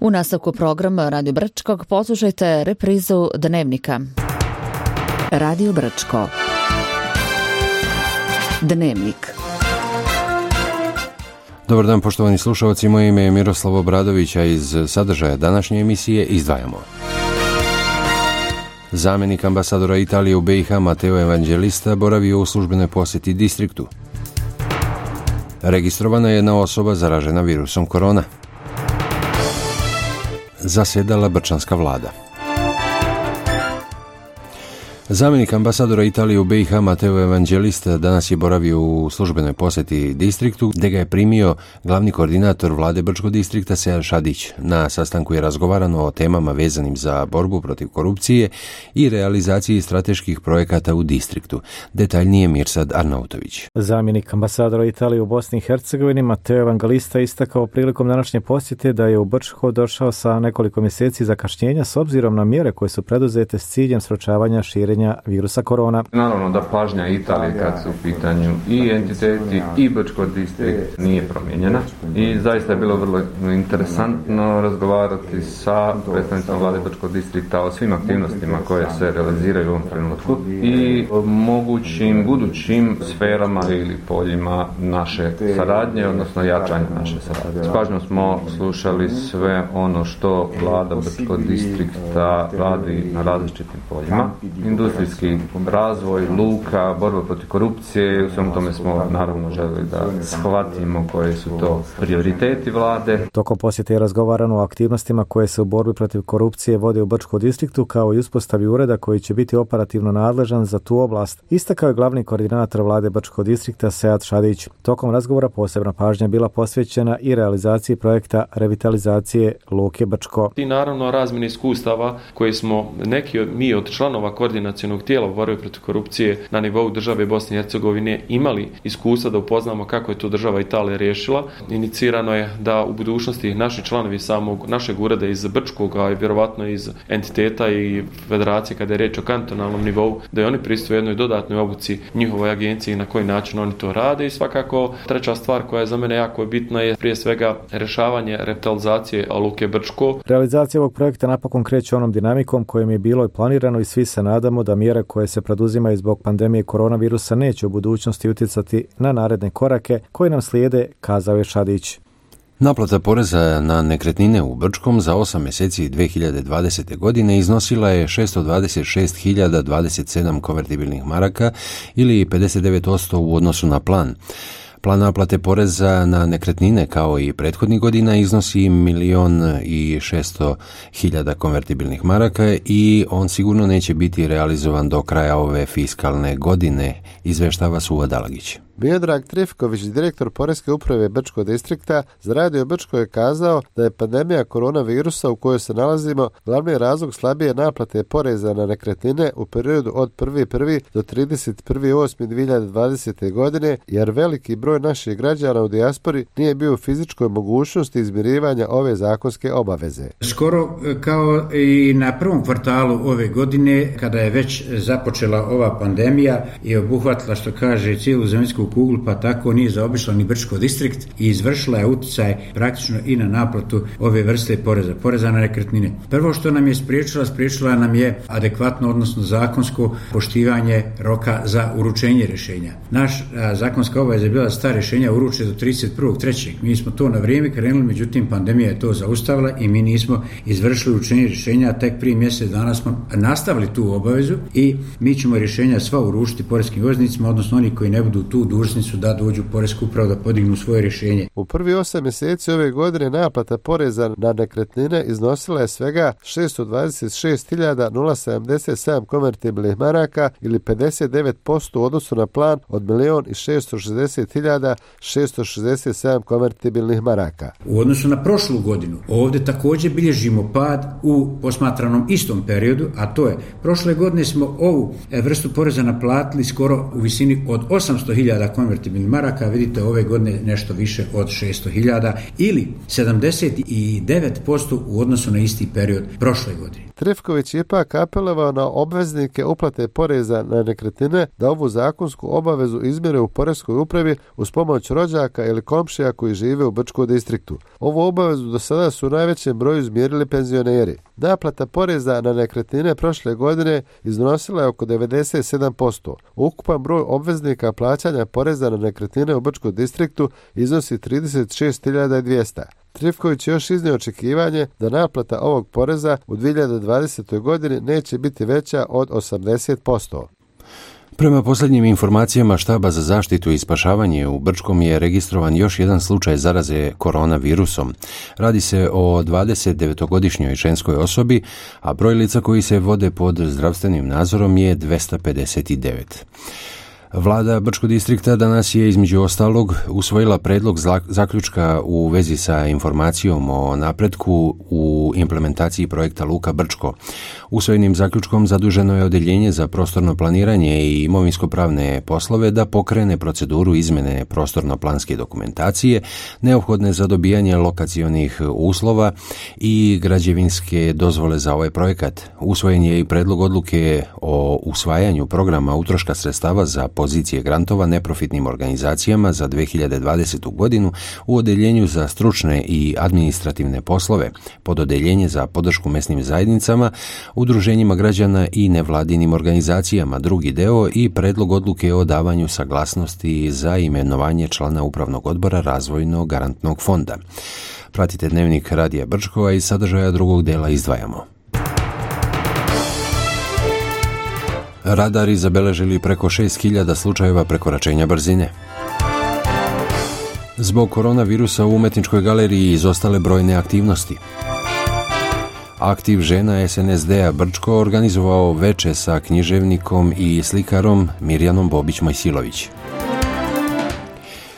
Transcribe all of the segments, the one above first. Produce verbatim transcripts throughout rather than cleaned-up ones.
U nastavku programa Radio Brčkog poslušajte reprizu Dnevnika. Radio Brčko. Dnevnik. Dobar dan, poštovani slušalci, moje ime je Miroslav Obradović, a iz sadržaja današnje emisije izdvajamo. Zamjenik ambasadora Italije u B i H Matteo Evangelista boravio u službenoj posjeti distriktu. Registrovana je jedna osoba zaražena virusom korona. Zasjedala brčanska vlada. Zamjenik ambasadora Italije u B i H Matteo Evangelista danas je boravio u službenoj posjeti distriktu, gdje ga je primio glavni koordinator vlade Brčkog distrikta Sead Šadić. Na sastanku je razgovarano o temama vezanim za borbu protiv korupcije i realizaciji strateških projekata u distriktu. Detaljnije Mirsad Arnautović. Zamjenik ambasadora Italije u Bosni i Hercegovini Matteo Evangelista istakao prilikom današnje posjete da je u Brčko došao sa nekoliko mjeseci zakašnjenja s obzirom na mjere koje su preduzete s ciljem sprječavanja širenja virusa korona. Naravno da pažnja Italije kad su u pitanju i entiteti i Brčko distrikt nije promijenjena i zaista je bilo vrlo interesantno razgovarati sa predstavnicima vlade Brčkog distrikta o svim aktivnostima koje se realiziraju u ovom trenutku i o mogućim budućim sferama ili poljima naše saradnje, odnosno jačanja naše saradnje. S pažnjom smo slušali sve ono što vlada Brčkog distrikta radi na različitim poljima. Industrijski razvoj, luka, borba protiv korupcije, u svemu tome smo naravno želeli da shvatimo koje su to prioriteti vlade. Tokom posjete je razgovarano o aktivnostima koje se u borbi protiv korupcije vode u Brčkom distriktu, kao i uspostavi ureda koji će biti operativno nadležan za tu oblast. Istakao je glavni koordinator vlade Brčkog distrikta Sead Šadić. Tokom razgovora posebna pažnja bila posvećena i realizaciji projekta revitalizacije luke Brčko. I naravno razmjene iskustava koje smo neki od, mi od članova koordinacionog tijela u borbi protiv korupcije na nivou države Bosne i Hercegovine imali iskustva da upoznamo kako je to država Italija riješila. Inicirano je da u budućnosti naši članovi samog našeg ureda iz Brčkog, a i vjerovatno iz entiteta i federacije kada je riječ o kantonalnom nivou, da i oni pristupe jednoj dodatnoj obuci njihovoj agenciji na koji način oni to rade. I svakako treća stvar koja je za mene jako bitna je prije svega rješavanje revitalizacije luke Brčko. Realizacija ovog projekta napokon kreće onom dinamikom kojim je bilo i planirano i svi se nadamo da mjere koje se preduzimaju zbog pandemije koronavirusa neće u budućnosti utjecati na naredne korake koji nam slijede, kazao je Šadić. Naplata poreza na nekretnine u Brčkom za osam mjeseci dvije hiljade dvadesete. godine iznosila je šesto dvadeset šest hiljada dvadeset sedam konvertibilnih maraka ili pedeset devet posto u odnosu na plan. Plan naplate poreza na nekretnine kao i prethodnih godina iznosi milijon i šesto hiljada konvertibilnih maraka i on sigurno neće biti realizovan do kraja ove fiskalne godine, izvještava Suva Dalagić. Miodrag Trifković, direktor Poreske uprave Brčkog distrikta, za Radio Brčko je kazao da je pandemija koronavirusa u kojoj se nalazimo glavni razlog slabije naplate poreza na nekretnine u periodu od prvi prvog do trideset prvi osmi dvije hiljade dvadesete. godine, jer veliki broj naših građana u dijaspori nije bio u fizičkoj mogućnosti izmirivanja ove zakonske obaveze. Skoro kao i na prvom kvartalu ove godine, kada je već započela ova pandemija i obuhvatila, što kaže, cijelu zemaljsku kuglu, pa tako nije zaobišla ni Brčko distrikt i izvršila je utjecaj praktično i na naplatu ove vrste poreza, poreza na nekretnine. Prvo što nam je spriječila, spriječila nam je adekvatno, odnosno zakonsko poštivanje roka za uručenje rješenja. Naš a, zakonska obaveza je bila da sta rješenja uruče do trideset prvog trećeg Mi smo to na vrijeme krenuli, međutim pandemija je to zaustavila i mi nismo izvršili uručenje rješenja, a tek prije mjesec dana smo nastavili tu obavezu i mi ćemo rješenja sva uručiti poreskim obveznicima, odnosno oni koji ne budu tu dužni su da dođu u Poresku upravu da podignu svoje rješenje. U prvi osam mjeseci ove godine naplata poreza na nekretnine iznosila je svega šesto dvadeset šest hiljada sedamdeset sedam konvertibilnih maraka ili pedeset devet posto u odnosu na plan od milijon i šesto šezdeset hiljada šesto šezdeset sedam konvertibilnih maraka. U odnosu na prošlu godinu ovdje također bilježimo pad u posmatranom istom periodu, a to je prošle godine smo ovu vrstu poreza naplatili skoro u visini od osamsto hiljada konvertibilnih maraka, vidite ove godine nešto više od šesto hiljada ili sedamdeset devet posto u odnosu na isti period prošle godine. Trifković je ipak apelovao na obveznike uplate poreza na nekretnine da ovu zakonsku obavezu izmjere u poreskoj upravi uz pomoć rođaka ili komšija koji žive u Brčkom distriktu. Ovu obavezu do sada su u najvećem broju izmjerili penzioneri. Naplata poreza na nekretnine prošle godine iznosila je oko devedeset sedam posto. Ukupan broj obveznika plaćanja poreza na nekretnine u Brčkom distriktu iznosi trideset šest hiljada dvjesto. Trifković još iznio očekivanje da naplata ovog poreza u dvije hiljade dvadesetoj godini neće biti veća od osamdeset posto. Prema posljednjim informacijama Štaba za zaštitu i spašavanje u Brčkom je registrovan još jedan slučaj zaraze koronavirusom. Radi se o dvadesetdevetogodišnjoj ženskoj osobi, a broj lica koji se vode pod zdravstvenim nadzorom je dvjesto pedeset devet. Vlada Brčkog distrikta danas je između ostalog usvojila predlog zaključka u vezi sa informacijom o napretku u implementaciji projekta Luka Brčko. Usvojenim zaključkom zaduženo je Odeljenje za prostorno planiranje i imovinsko-pravne poslove da pokrene proceduru izmjene prostorno-planske dokumentacije neophodne za dobijanje lokacionih uslova i građevinske dozvole za ovaj projekat. Usvojen je i predlog odluke o usvajanju programa utroška sredstava za pozicije grantova neprofitnim organizacijama za dvije hiljade dvadesetu godinu u Odeljenju za stručne i administrativne poslove, pod Odeljenje za podršku mesnim zajednicama, udruženjima građana i nevladinim organizacijama, drugi deo i predlog odluke o davanju saglasnosti za imenovanje člana Upravnog odbora Razvojnog garantnog fonda. Pratite Dnevnik Radija Brčkova i sadržaja drugog dela izdvajamo. Radari zabeležili preko šest hiljada slučajeva prekoračenja brzine. Zbog koronavirusa u Umetničkoj galeriji izostale brojne aktivnosti. Aktiv žena es en es de-a Brčko organizovao veče sa književnikom i slikarom Mirjanom Bobić-Mojsilović.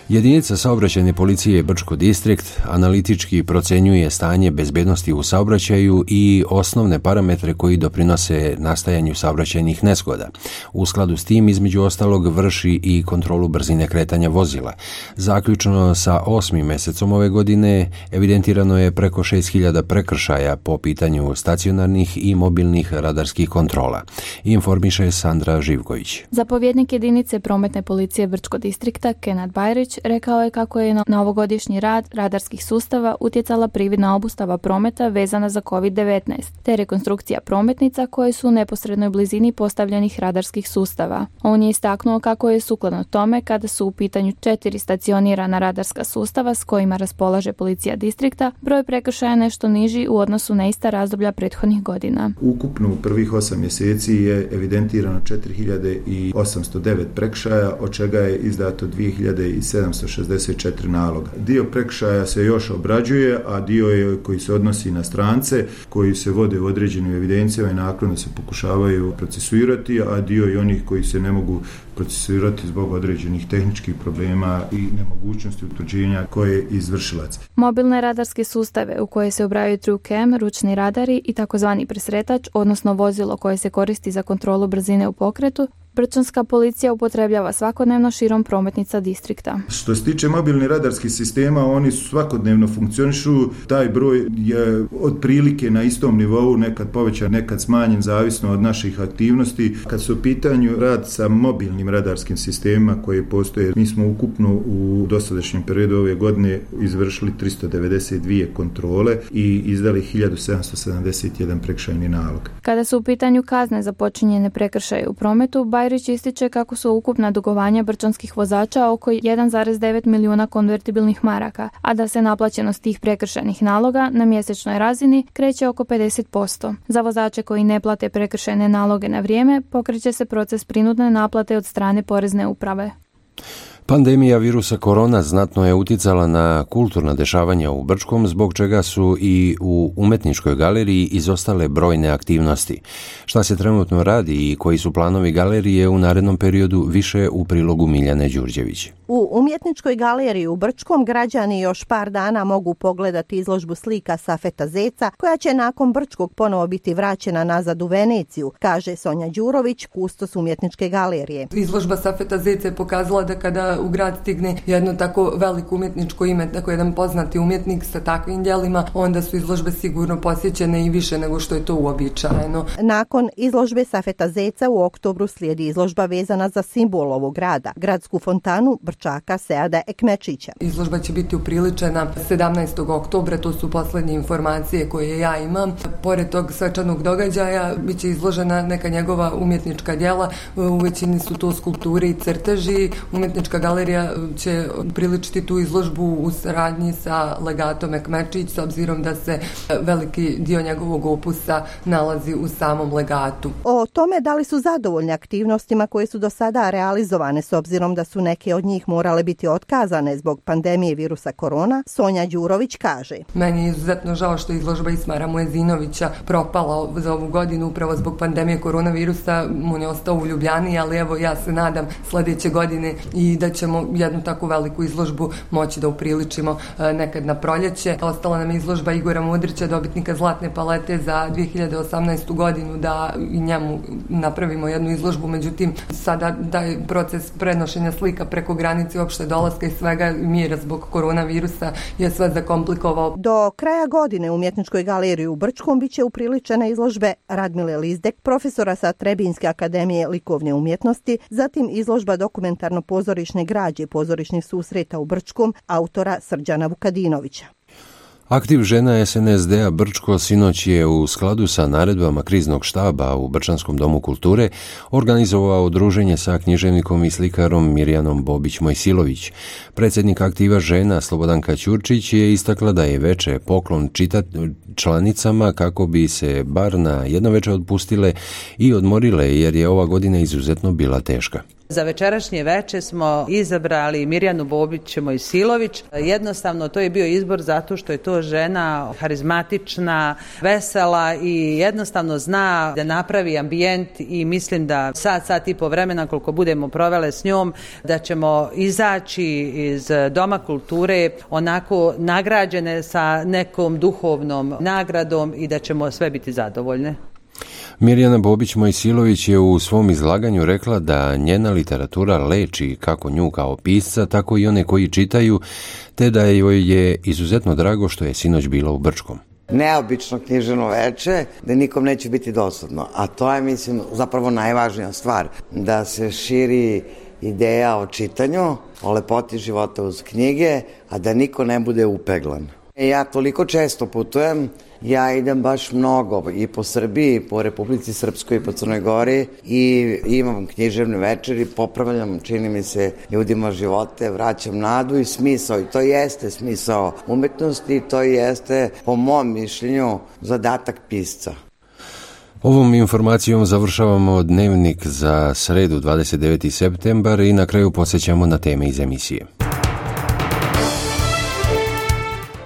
Jedinica saobraćajne policije Brčko distrikt analitički procenjuje stanje bezbednosti u saobraćaju i osnovne parametre koji doprinose nastajanju saobraćajnih nezgoda. U skladu s tim, između ostalog, vrši i kontrolu brzine kretanja vozila. Zaključno sa osmim mesecom ove godine evidentirano je preko šest hiljada prekršaja po pitanju stacionarnih i mobilnih radarskih kontrola. Informiše Sandra Živković. Zapovjednik jedinice prometne policije Brčko distrikta Kenad Bajrić rekao je kako je na ovogodišnji rad radarskih sustava utjecala prividna obustava prometa vezana za kovid devetnaest, te rekonstrukcija prometnica koje su u neposrednoj blizini postavljenih radarskih sustava. On je istaknuo kako je sukladno tome kada su u pitanju četiri stacionirana radarska sustava s kojima raspolaže policija distrikta, broj prekršaja nešto niži u odnosu na ista razdoblja prethodnih godina. Ukupno u prvih osam mjeseci je evidentirano četiri hiljade osamsto devet prekršaja, od čega je izdato dvije hiljade sedamsto šezdeset četiri naloga. Dio prekršaja se još obrađuje, a dio je koji se odnosi na strance, koji se vode u određenim evidencijama i naknadno se pokušavaju procesuirati, a dio i onih koji se ne mogu procesuirati zbog određenih tehničkih problema i nemogućnosti utvrđenja koje je izvršilac. Mobilne radarske sustave u koje se ubrajaju TrueCam, ručni radari i takozvani presretač, odnosno vozilo koje se koristi za kontrolu brzine u pokretu, Brčanska policija upotrebljava svakodnevno širom prometnica distrikta. Što se tiče mobilnih radarskih sistema, oni svakodnevno funkcionišu. Taj broj je otprilike na istom nivou, nekad povećan, nekad smanjen, zavisno od naših aktivnosti. Kad su u pitanju rad sa mobilnim radarskim sistemima koje postoje, mi smo ukupno u dosadašnjem periodu ove godine izvršili tristo devedeset dvije kontrole i izdali hiljadu sedamsto sedamdeset jedan prekršajni nalog. Kada su u pitanju kazne za počinjene prekršaje u prometu, Bajrić ističe kako su ukupna dugovanja brčanskih vozača oko jedan zarez devet milijuna konvertibilnih maraka, a da se naplaćenost tih prekršajnih naloga na mjesečnoj razini kreće oko pedeset posto. Za vozače koji ne plate prekršajne naloge na vrijeme, pokreće se proces prinudne naplate od strane porezne uprave. Pandemija virusa korona znatno je utjecala na kulturna dešavanja u Brčkom, zbog čega su i u Umetničkoj galeriji izostale brojne aktivnosti. Šta se trenutno radi i koji su planovi galerije u narednom periodu, više u prilogu Miljane Đurđević. U Umjetničkoj galeriji u Brčkom građani još par dana mogu pogledati izložbu slika Safeta Zeca, koja će nakon Brčkog ponovo biti vraćena nazad u Veneciju, kaže Sonja Đurović, kustos Umjetničke galerije. Izložba Safeta Zeca je pokazala da kada u grad stigne jedno tako veliko umjetničko ime, tako jedan poznati umjetnik sa takvim djelima, onda su izložbe sigurno posjećene i više nego što je to uobičajeno. Nakon izložbe Safeta Zeca u oktobru slijedi izložba vezana za simbol ovog grada, gradsku fontanu Brčaka Seada Ekmečića. Izložba će biti upriličena sedamnaestog oktobra, to su posljednje informacije koje ja imam. Pored tog svečanog događaja bit će izložena neka njegova umjetnička djela, u većini su to skulpture i crteži. Umjetnička galerija će upriličiti tu izložbu u saradnji sa legatom Ekmečić, s obzirom da se veliki dio njegovog opusa nalazi u samom legatu. O tome da li su zadovoljni aktivnostima koje su do sada realizovane, s obzirom da su neke od njih morale biti otkazane zbog pandemije virusa korona, Sonja Đurović kaže: Meni je izuzetno žao što je izložba Ismara Muezinovića propala za ovu godinu upravo zbog pandemije koronavirusa. On je ostao u Ljubljani, ali evo ja se nadam sljedeće godine i da ćemo jednu takvu veliku izložbu moći da upriličimo nekad na proljeće. Ostala nam je izložba Igora Mudrića, dobitnika Zlatne palete za dvije hiljade osamnaestu godinu, da i njemu napravimo jednu izložbu, međutim sada taj proces prenošenja slika preko granice, uopšte dolaska i svega mira zbog koronavirusa je sve zakomplikovao. Do kraja godine u Umjetničkoj galeriji u Brčkom bit će upriličene izložbe Radmile Lizdek, profesora sa Trebinjske akademije likovne umjetnosti, zatim izložba dokumentarno-pozorišne građe pozorišnih susreta u Brčkom autora Srđana Vukadinovića. Aktiv žena es en es de a Brčko sinoć je u skladu sa naredbama kriznog štaba u Brčanskom domu kulture organizovao druženje sa književnikom i slikarom Mirjanom Bobić-Mojsilović. Predsjednik aktiva žena Slobodanka Ćurčić je istakla da je veče poklon čitat članicama kako bi se bar na jedno veče odpustile i odmorile, jer je ova godina izuzetno bila teška. Za večerašnje veče smo izabrali Mirjanu Bobić-Mojsilović. Jednostavno to je bio izbor zato što je to žena harizmatična, vesela i jednostavno zna da napravi ambijent i mislim da sat, sat i po vremena koliko budemo provele s njom, da ćemo izaći iz Doma kulture onako nagrađene sa nekom duhovnom nagradom i da ćemo sve biti zadovoljne. Mirjana Bobić-Mojsilović je u svom izlaganju rekla da njena literatura leči kako nju kao pisca, tako i one koji čitaju, te da joj je izuzetno drago što je sinoć bila u Brčkom. Neobično književno veče, da nikom neće biti dosadno, a to je, mislim, zapravo najvažnija stvar, da se širi ideja o čitanju, o lepoti života uz knjige, a da niko ne bude upeglan. Ja toliko često putujem, ja idem baš mnogo i po Srbiji, i po Republici Srpskoj, i po Crnoj Gori i imam književne večeri, popravljam, čini mi se, ljudima živote, vraćam nadu i smisao. I to jeste smisao umetnosti, to jeste, po mom mišljenju, zadatak pisca. Ovom informacijom završavamo dnevnik za sredu dvadeset deveti septembar i na kraju podsjećamo na teme iz emisije.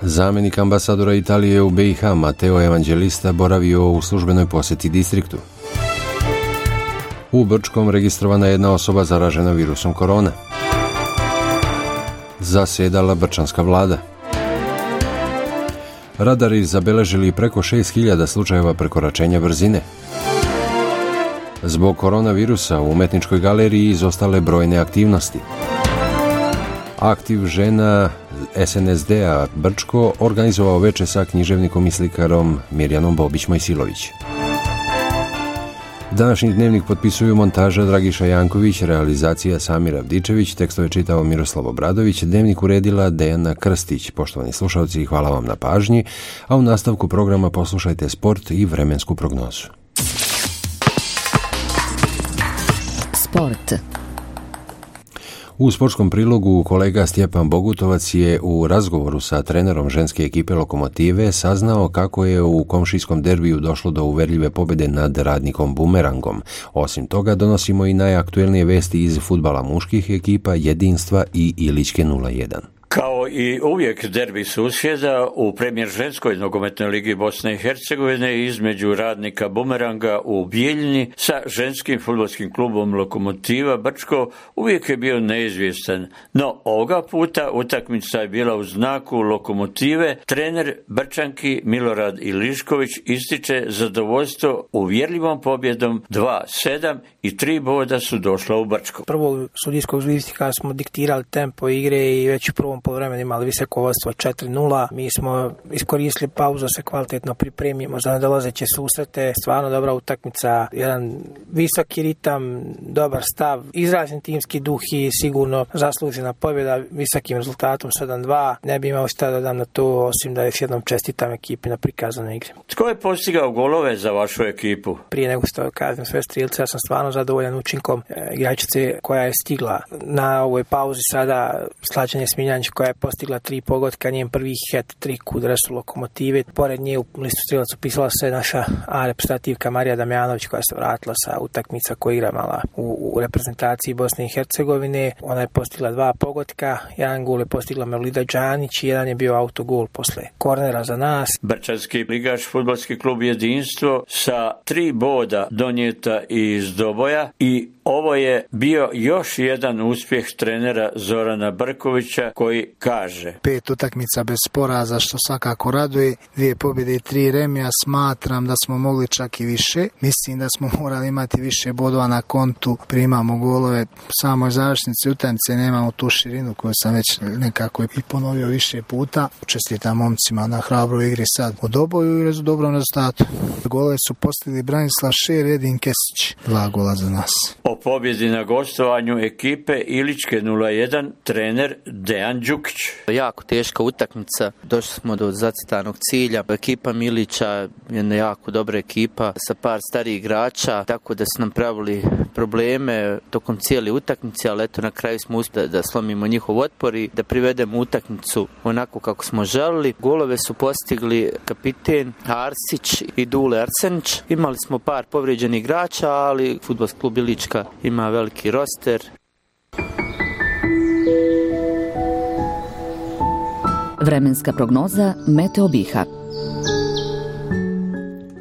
Zamjenik ambasadora Italije u be i ha Matteo Evangelista boravio u službenoj posjeti distriktu. U Brčkom registrovana jedna osoba zaražena virusom korona. Zasjedala brčanska vlada. Radari zabeležili preko šest hiljada slučajeva prekoračenja brzine. Zbog koronavirusa u Umetničkoj galeriji izostale brojne aktivnosti. Aktiv žena es en es de a Brčko organizovao veče sa književnikom i slikarom Mirjanom Bobić-Mojsilović. Današnji dnevnik potpisuju montaža Dragiša Janković, realizacija Samir Avdičević, tekstove čitao Miroslav Obradović, dnevnik uredila Dejana Krstić. Poštovani slušalci, hvala vam na pažnji, a u nastavku programa poslušajte sport i vremensku prognozu. Sport. U sportskom prilogu kolega Stjepan Bogutovac je u razgovoru sa trenerom ženske ekipe Lokomotive saznao kako je u komšijskom derbiju došlo do uverljive pobjede nad Radnikom Bumerangom. Osim toga, donosimo i najaktuelnije vesti iz fudbala muških ekipa Jedinstva i Ilićke nula jedan. Kao i uvijek derbi susjeda u premijer ženskoj nogometnoj ligi Bosne i Hercegovine između radnika Bumeranga u Bijeljini sa ženskim fudbalskim klubom Lokomotiva Brčko uvijek je bio neizvjestan. No ovoga puta utakmica je bila u znaku Lokomotive. Trener Brčanki Milorad Ilišković ističe zadovoljstvo uvjerljivom pobjedom dva sedam i tri boda su došla u Brčko. Prvog sudijskog žvistika smo diktirali tempo igre i već u prvom poluvremenu imali visoko vodstvo četiri nula. Mi smo iskoristili pauzu da se kvalitetno pripremimo za nadolazeće susrete. Stvarno dobra utakmica, jedan visoki ritam, dobar stav, izražen timski duh i sigurno zaslužena pobjeda visokim rezultatom sedam dva. Ne bi imao šta da dam na to, osim da još jednom čestitam ekipi na prikazanoj igri. Tko je postigao golove za vašu ekipu? Prije nego što kažem sve strilce, ja sam stvarno zadovoljan učinkom e, igračice koja je stigla na ovoj pauzi sada, Slađane Smiljanić, koja je postigla tri pogotka, njen prvi hat-trick u dresu Lokomotive. Pored nje u listu strilac upisala se naša A reprezentativka Marija Damjanović, koja se vratila sa utakmica koja igra mala u, u reprezentaciji Bosne i Hercegovine. Ona je postigla dva pogotka, jedan gol je postigla Melida Đanić i jedan je bio autogol posle kornera za nas. Brčanski ligaš fudbalski klub Jedinstvo sa tri boda donijeta iz Doboja i ovo je bio još jedan uspjeh trenera Zorana Brkovića koji kaže: Pet utakmica bez poraza, što svakako raduje, dvije pobjede i tri remija. Smatram da smo mogli čak i više. Mislim da smo morali imati više bodova na kontu. Primamo golove samoj završnici utakmice, nemamo tu širinu koju sam već nekako i ponovio više puta. Čestitam momcima na hrabroj igri sad u Doboju i dobrom rezultatu. Golove su postigli Branislav Šer i Edin Kesić. Dva gola za nas. O pobjedi na gostovanju ekipe Iličke nula jedan trener Dejan Đukić. Jako teška utakmica, došli smo do zacitanog cilja. Ekipa Milića je jako dobra ekipa sa par starijih igrača, tako da su nam pravili probleme tokom cijele utakmice, ali eto na kraju smo uspjeli da slomimo njihov otpor i da privedemo utakmicu onako kako smo želili. Golove su postigli kapiten Arsić i Dule Arsenić. Imali smo par povrijeđenih igrača, ali fudbalski klub Ilička ima veliki roster. Vremenska prognoza Meteo Biha.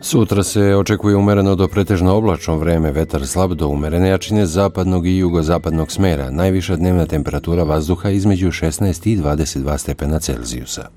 Sutra se očekuje umereno do pretežno oblačno vreme, vetar slab do umerene jačine zapadnog i jugozapadnog smera. Najviša dnevna temperatura vazduha između šesnaest i dvadeset dva stepena Celzijusa.